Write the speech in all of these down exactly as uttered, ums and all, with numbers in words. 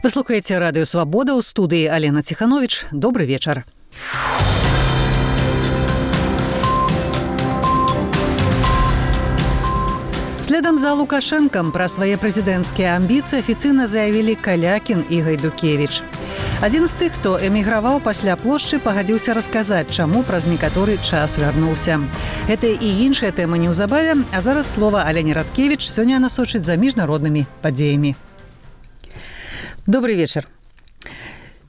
Вы слухаеце радыё Свабода, ў студыі Алена Ціхановіч. Добры вечар. Следам за Лукашэнкам пра свае прэзідэнцкія амбіцыі афіцыйна заявілі Калякін і Гайдукевіч. Адзін з тых, хто эміграваў пасля плошчы, пагадзіўся расказаць, чаму праз некаторы час вярнуўся. Гэта і іншая тэма неўзабаве, а зараз слова Алене Радкевіч сёння насочыць за міжнароднымі падзеямі. Добрый вечер.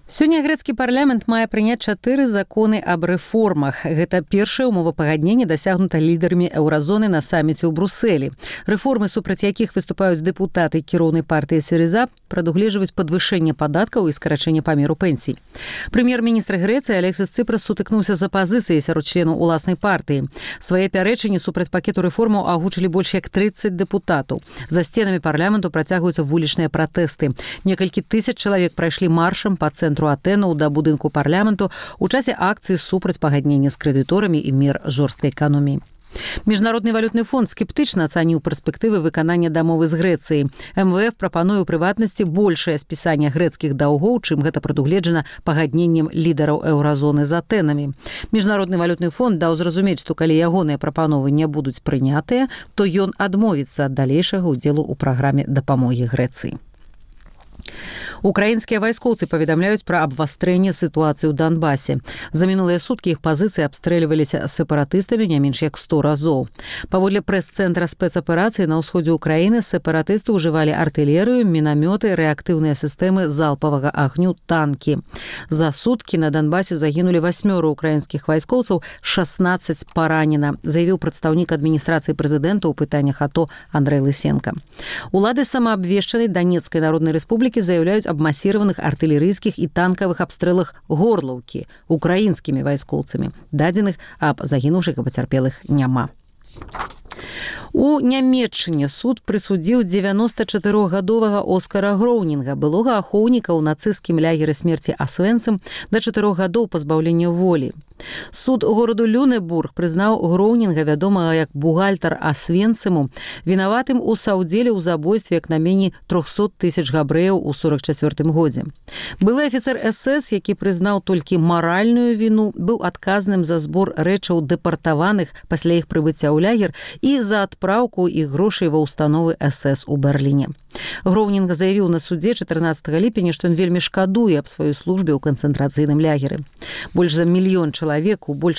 Сёння грэцкі парламент мае прыняць чатыры законы аб рэформах. Гэта першае умовапагадненне дасягнута лідарамі еўразоны на саміце ў Брусэлі. Рэформы, супраць якіх выступаюць дэпутаты кіроўнай партыі Сірыза, прадугледжваюць падвышэнне падаткаў і скарачэнне памеру пенсій. Прэм'ер-міністр Грэцыі Алексіс Цыпрас сутыкнуўся з апазіцыяй сярод членаў уласнай партыі. Свае пярэчанні супраць пакету рэформаў агучылі больш як трыццаць дэпутатаў. За сценамі парламенту працягваюцца вулічныя пратэсты. Некалькі тысяч чалавек прайшлі маршам па цэнтру Атэнаў да будынку парламенту ў часе акцыі супраць пагаднення з крэдыторамі і мер жорсткай эканоміі. Міжнародны валютны фонд скептычна ацаніў перспектывы выканання дамовы з Грэцыяй. эм вэ эф прапануе ў прыватнасці большае спісанне грэцкіх даўгоў, чым гэта прадугледжана пагадненнем лідараў еўразоны з Атэнамі. Міжнародны валютны фонд даў зразумець, што калі ягоныя прапановы не будуць прынятыя, то ён адмовіцца ад далейшага ўдзелу ў праграме дапамогі Грэцыі. Украінскія вайскоўцы паведамляюць пра абвастрэнне сітуацыі ў Донбасе. За мінулыя суткі іх пазіцыі абстрэльваліся сепаратыстамі не менш як сто разоў. Паводле прэс-цэнтра спецаперацыі на ўсходзе ўкраіны сепаратысты ўжывалі артылерыю, мінамёты, рэактыўныя сістэмы залпавага агню, танкі. За суткі на Донбасе загінулі васьмёра украінскіх вайскоўцаў, шаснаццаць паранена, заявіў прадстаўнік адміністрацыі прэзідэнта ў пытаннях АТО Андрэй Лысенко. Улады самаабвешчанай Данецкай народнай рэспублікі заяўляюць аб масіраваных артылерыйскіх і танкавых абстрэлах Горлаўкі украінскімі вайскоўцамі. Дадзеных аб загінуўшых і пацярпелых няма. У Нямецчыне суд прысудзіў дзевяностачатырохгадовага Оскара Гроўнінга, былога ахоўніка ў нацысцкім лягеры смерці Асвенцым, да чатырох гадоў пазбаўлення волі. Суд гораду Люнебург прызнаў Гроўнінга, вядомага як бухгалтар Асвенцыму, вінаватым у саўдзеле ў забойстве як найменей трохсот тысяч габрэяў у сорак чацвёртым годзе. Былы афіцэр эс эс, які прызнаў толькі маральную віну, быў адказным за збор рэчаў дэпартаваных пасля іх прыбыцця ў лягер і за адпраўку іх грошай ва ўстановы эс эс у Берліне. Гроўнінг заявіў на судзе чатырнаццатага ліпеня, што ён вельмі шкадуе аб сваёй службе ў канцэнтрацыйным лягеры. Больш за мільён чалавек у большай